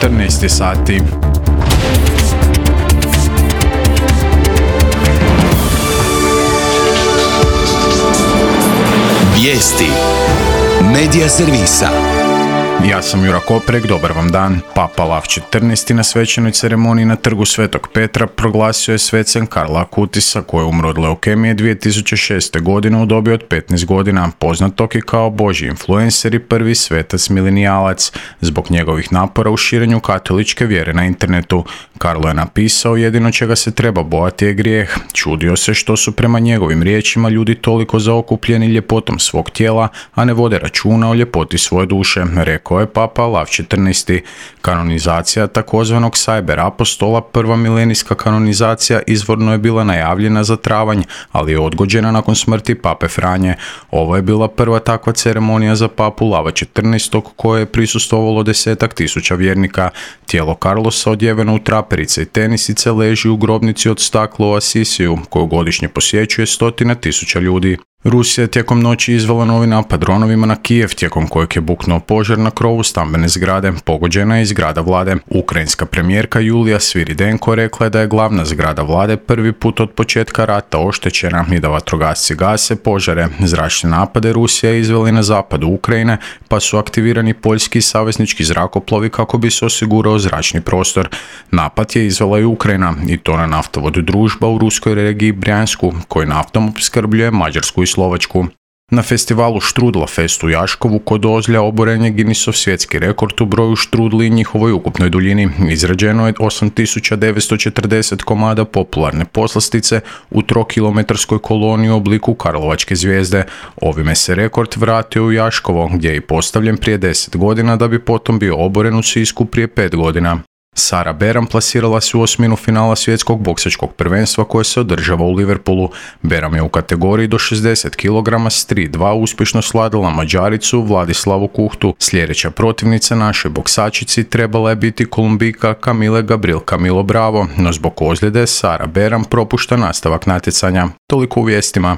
14 sati. Vijesti Medija servisa. Ja sam Jura Koprek, dobar vam dan. Papa Lav XIV na svečanoj ceremoniji na trgu Svetog Petra proglasio je svecem Karla Akutisa koji je umro od leukemije 2006. godine u dobi od 15 godina, poznatog i kao božji influencer i prvi svetac milenijalac. Zbog njegovih napora u širenju katoličke vjere na internetu, Karlo je napisao: jedino čega se treba bojati je grijeh. Čudio se što su prema njegovim riječima ljudi toliko zaokupljeni ljepotom svog tijela, a ne vode računa o ljepoti svoje duše, rekao je Papa Lav XIV. Kanonizacija takozvanog cyber apostola, prva milenijska kanonizacija, izvorno je bila najavljena za travanj, ali je odgođena nakon smrti Pape Franje. Ovo je bila prva takva ceremonija za Papu Lava XIV koje je prisustvovalo 10.000 vjernika. Tijelo Carlosa, odjeveno u traperice i tenisice, leži u grobnici od stakla u Asisiju, koju godišnje posjećuje 100.000 ljudi. Rusija je tijekom noći izvela novi napad dronovima na Kijev, tijekom kojeg je buknuo požar na krovu stambene zgrade. Pogođena je i zgrada vlade. Ukrajinska premijerka Julija Sviridenko rekla je da je glavna zgrada vlade prvi put od početka rata oštećena i da vatrogasci gase požare. Zračne napade Rusija je izvela i na zapadu Ukrajine, pa su aktivirani poljski i saveznički zrakoplovi kako bi se osigurao zračni prostor. Napad je izvela i Ukrajina, i to na naftovod Družba u ruskoj regiji Brjansku, koji naftom opskrbljuje Mađarsku i Slovačku. Na festivalu Štrudla Fest u Jaškovu kod Ozlja oboren je Guinnessov svjetski rekord u broju štrudli i njihovoj ukupnoj duljini. Izrađeno je 8940 komada popularne poslastice u 3-kilometarskoj koloniji u obliku karlovačke zvijezde. Ovime se rekord vratio u Jaškovo, gdje je i postavljen prije 10 godina da bi potom bio oboren u Sisku prije 5 godina. Sara Beram plasirala se u osminu finala svjetskog boksačkog prvenstva koje se održava u Liverpoolu. Beram je u kategoriji do 60 kg s 3-2 uspješno svladala Mađaricu Vladislavu Kuhtu. Sljedeća protivnica našoj boksačici trebala je biti Kolumbijka Camille Gabriel Camilo Bravo, no zbog ozljede Sara Beram propušta nastavak natjecanja. Toliko u vijestima.